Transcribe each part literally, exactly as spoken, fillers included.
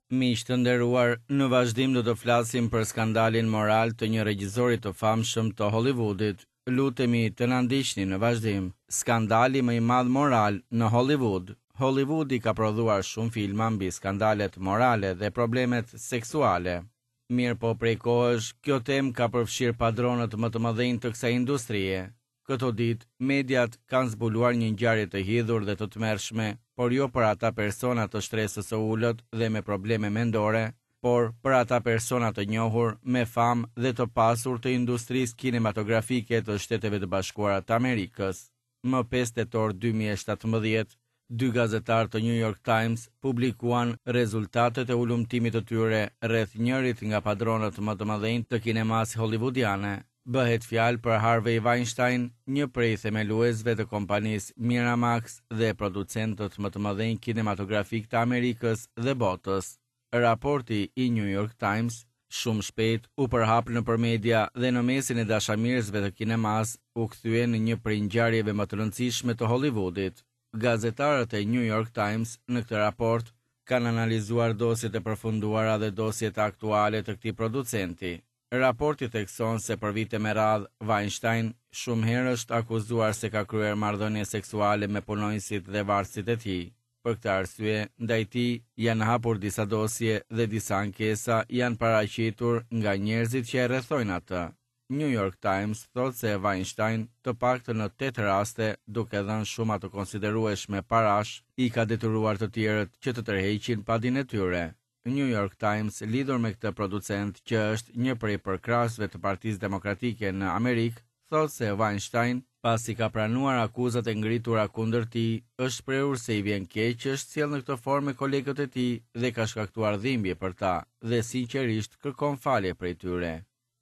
Miq të nderuar, në vazhdim do të flasim për skandalin moral të një regjisori të famshëm të Hollywoodit. Lutemi të na ndiqni në vazhdim. Skandali më i madh moral në Hollywood. Hollywoodi ka prodhuar shumë filma mbi skandalet morale dhe problemet seksuale. Mirë po prej kohësh, kjo temë ka përfshirë padronët më të mëdhenj të kësaj industrie. Këto ditë, mediat kanë zbuluar një ngjarje të hidhur dhe të tmerrshme, por jo për ata persona të shtresës së ulët dhe me probleme mendore, por për ata persona të njohur, me famë dhe të pasur të industrisë kinematografike të Shteteve të Bashkuara të Amerikës. Më pesë tetor dy mijë e shtatëmbëdhjetë, dy gazetarë të New York Times publikuan rezultatet e hulumtimit të tyre rreth njërit nga padronët më të mëdhenj të kinemasë hollywoodiane. Bëhet fjalë për Harvey Weinstein, një prej themeluesve të kompanisë Miramax dhe producentët më të mëdhenj kinematografik të Amerikës dhe botës. Raporti i New York Times shumë shpejt u përhap nëpër media dhe në mesin e dashamirësve të kinemas u kthye në një prej ngjarjeve më të rëndësishme të Hollywoodit. Gazetarët e New York Times në këtë raport kanë analizuar dosjet e përfunduara dhe dosjet aktuale të këtij producenti. Raporti thekson se për vite me radhë, Weinstein shumë herë është akuzuar se ka kryer marrëdhënie seksuale me punonjësit dhe vartësit e tij. Për këtë arsye, ndaj tij janë hapur disa dosje dhe disa ankesa janë paraqitur nga njerëzit që e rrethojnë atë. New York Times thotë se Weinstein, të paktën në tetë raste, duke dhënë shuma të konsiderueshme parash, i ka detyruar të tjerët që të tërheqin padinë e tyre. New York Times lidhur me këtë producent që është një prej përkrahësve të Partisë Demokratike në Amerikë, thotë se Weinstein, pasi ka pranuar akuzat e ngritura kundër tij, është shprehur se i vjen keq që është sjellë në këtë formë me kolegët e tij dhe ka shkaktuar dhimbje për ta dhe sinqerisht kërkon falje prej tyre.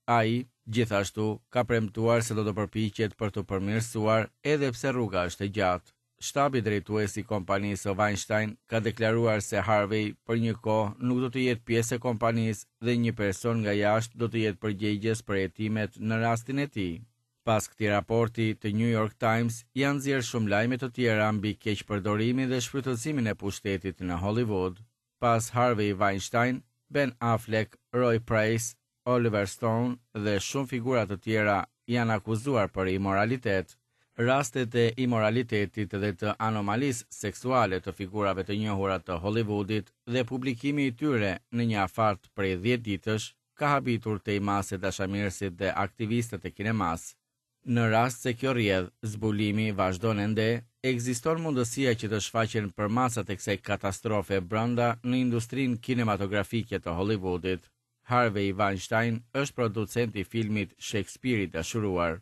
Ai, gjithashtu, ka premtuar se do të përpiqet për të përmirësuar edhe pse rruga është e gjatë. Shtabi drejtues i kompanisë Weinstein ka deklaruar se Harvey për një kohë nuk do të jetë pjesë e kompanisë dhe një person nga jashtë do të jetë përgjegjës për hetimet në rastin e tij. Pas këtij raporti të New York Times janë nxjerrë shumë lajme të tjera mbi keqpërdorimin dhe shfrytëzimin e pushtetit në Hollywood. Pas Harvey Weinstein, Ben Affleck, Roy Price, Oliver Stone dhe shumë figura të tjera janë akuzuar për imoralitet. Rastet e imoralitetit dhe të anomalisë seksuale të figurave të njohura të Hollywoodit dhe publikimi i tyre në një afat prej dhjetë ditësh ka habitur te mase dashamirësit dhe aktivistët e kinemas. Në rast se kjo rrjedh, zbulimi vazhdon ende, ekziston mundësia që të shfaqen përmasat e kësaj katastrofe brenda në industrinë kinematografike të Hollywoodit. Harvey Weinstein është producent i filmit Shakespeare i dashuruar.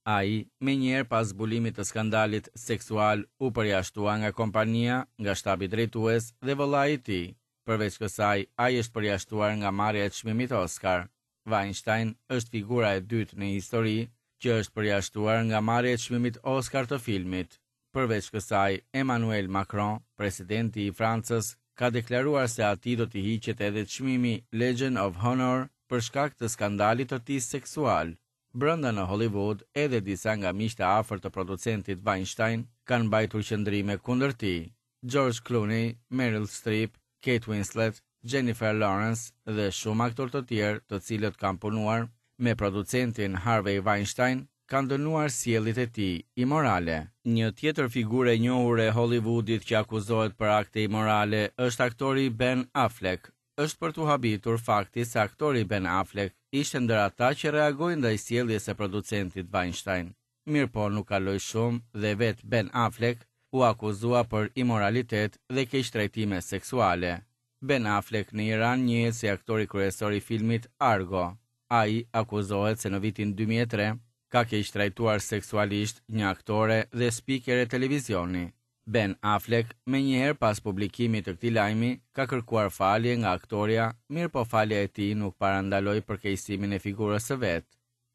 Ai, menjëherë pas zbulimit të skandalit seksual, u përjashtua nga kompania, nga shtabi drejtues dhe vëllai i tij. Përveç kësaj, ai është përjashtuar nga marrja e çmimit Oscar. Weinstein është figura e dytë në histori që është përjashtuar nga marrja e çmimit Oscar të filmit. Përveç kësaj, Emmanuel Macron, presidenti i Francës, ka deklaruar se atij do t'i hiqet edhe çmimi Legion of Honor për shkak të skandalit të tij seksual. Brenda në Hollywood, edhe disa nga miqtë e afërt të producentit Weinstein kanë mbajtur qëndrime kundër tij. George Clooney, Meryl Streep, Kate Winslet, Jennifer Lawrence dhe shumë aktorë të tjerë të cilët kanë punuar me producentin Harvey Weinstein kanë dënuar sjelljet e tij imorale. Një tjetër figurë e njohur e Hollywoodit që akuzohet për akte imorale është aktori Ben Affleck. Është për t'u habitur fakti se aktori Ben Affleck ishte ndër ata që reagoi ndaj sjelljes së producentit Weinstein. Mirëpo nuk kaloi shumë dhe vetë Ben Affleck u akuzua për imoralitet dhe keqtrajtime seksuale. Ben Affleck në Iran njihet si aktori kryesor i filmit Argo. Ai akuzohet se në vitin dy mijë e tre ka keqtrajtuar seksualisht një aktore dhe spikere televizioni. Ben Affleck, menjëherë pas publikimit të këtij lajmi, ka kërkuar falje nga aktoria, mirë po falja e tij nuk parandaloi përkeqësimin e figurës së vet.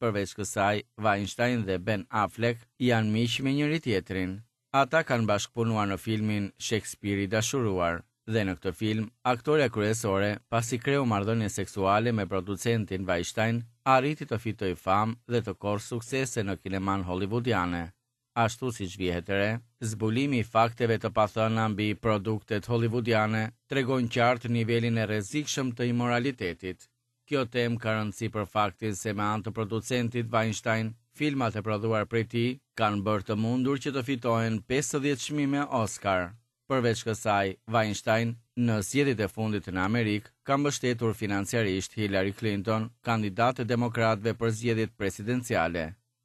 Përveç kësaj, Weinstein dhe Ben Affleck janë miq me njëri tjetrin. Ata kanë bashkëpunuar në filmin Shakespeare i dashuruar, dhe në këtë film, aktoria kryesore, pasi kreu marrëdhënie seksuale me producentin Weinstein, arriti të fitojë famë dhe të korrë suksese në kineman hollywoodiane. Ashtu siç vihet re, zbulimi i fakteve të pathëna mbi produktet hollywoodiane tregon qartë nivelin e rrezikshëm të imoralitetit. Kjo temë ka rëndësi për faktin se me anë të producentit Weinstein, filmat e prodhuar prej tij kanë bërë të mundur që të fitohen pesëdhjetë çmime Oscar. Përveç kësaj, Weinstein, në zgjedhjet e fundit në Amerikë, ka mbështetur financiarisht Hillary Clinton, kandidate demokratëve për zgjedhjet presidenciale.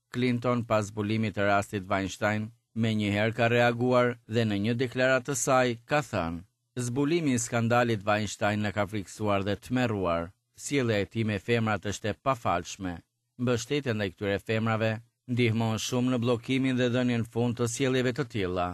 Clinton, pas zbulimit të rastit Weinstein, menjëherë ka reaguar dhe në një deklaratë të saj ka thënë: Zbulimi i skandalit Weinstein na ka frikësuar dhe tmerruar. Sjellja e tij me femrat është e pafalshme. Mbështetja ndaj këtyre femrave ndihmon shumë në bllokimin dhe dhënien fund të sjelljeve të tilla.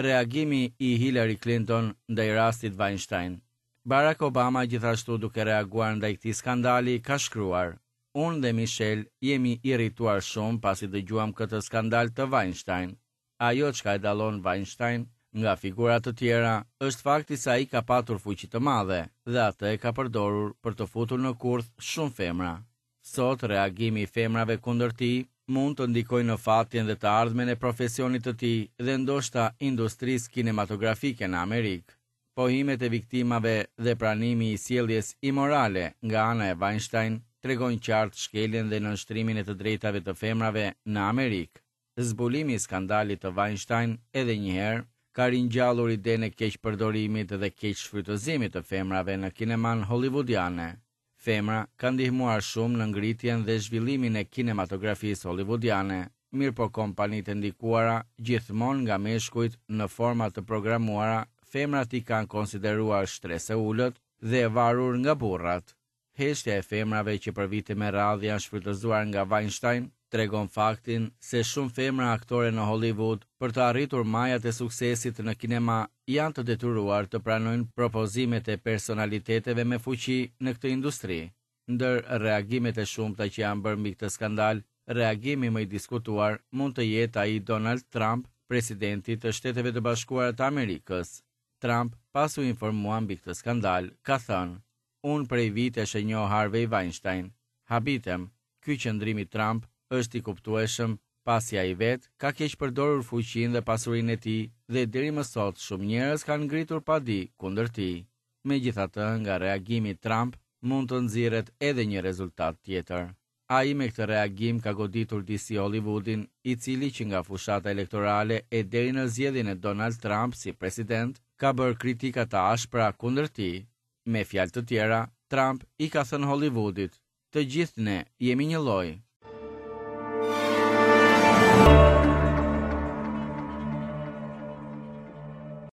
Reagimi i Hillary Clinton ndaj rastit Weinstein. Barack Obama gjithashtu duke reaguar ndaj këtij skandali ka shkruar: Unë dhe Michelle jemi irrituar shumë pasi dëgjuam këtë skandal të Weinstein. Ajo çka e dallon Weinstein nga figura të tjera është fakti se ai ka patur fuqi të madhe dhe atë e ka përdorur për të futur në kurth shumë femra. Sot reagimi i femrave kundër tij mund të ndikojë në fatin dhe të ardhmen e profesionit të tij dhe ndoshta industrisë kinematografike në Amerikë. Pohimet e viktimave dhe pranimi i sjelljes imorale nga ana e Weinstein tregojnë qartë shkeljen dhe nënshtrimin e të drejtave të femrave në Amerikë. Zbulimi i skandalit të Weinstein edhe një herë ka ringjallur idenë e keqpërdorimit dhe keqshfrytëzimit të femrave në kineman hollywoodiane. Femra ka ndihmuar shumë në ngritjen dhe zhvillimin e kinematografisë hollywoodiane, mirë po kompanitë e ndikuara gjithmonë nga meshkujt në forma të programuara, femrat i kanë konsideruar shtresë e ulët dhe e varur nga burrat. Heshtja e femrave që për vite me radhë janë shfrytëzuar nga Weinstein tregon faktin se shumë femra aktore në Hollywood për të arritur majat e suksesit në kinema janë të detyruar të pranojnë propozimet e personaliteteve me fuqi në këtë industri. Ndër reagimet e shumta që janë bërë mbi këtë skandal, reagimi më i diskutuar mund të jetë ai i Donald Trump, presidentit të Shteteve të Bashkuara të Amerikës. Trump, pas u informua mbi këtë skandal, ka thënë: Unë prej vitesh e njoh Harvey Weinstein. Habitem, ky qëndrim i Trump është i kuptueshëm, pasi ai vet ka keqpërdorur fuqinë dhe pasurinë e tij dhe deri më sot shumë njerëz kanë ngritur padi kundër tij. Megjithatë, nga reagimi i Trump mund të nxirret edhe një rezultat tjetër. Ai me këtë reagim ka goditur disi Hollywoodin, i cili që nga fushata elektorale e deri në zgjedhjen e Donald Trump si president, ka bërë kritika të ashpra kundër tij. Me fjalë të tjera, Trump i ka thënë Hollywoodit: Të gjithë ne jemi një lloj.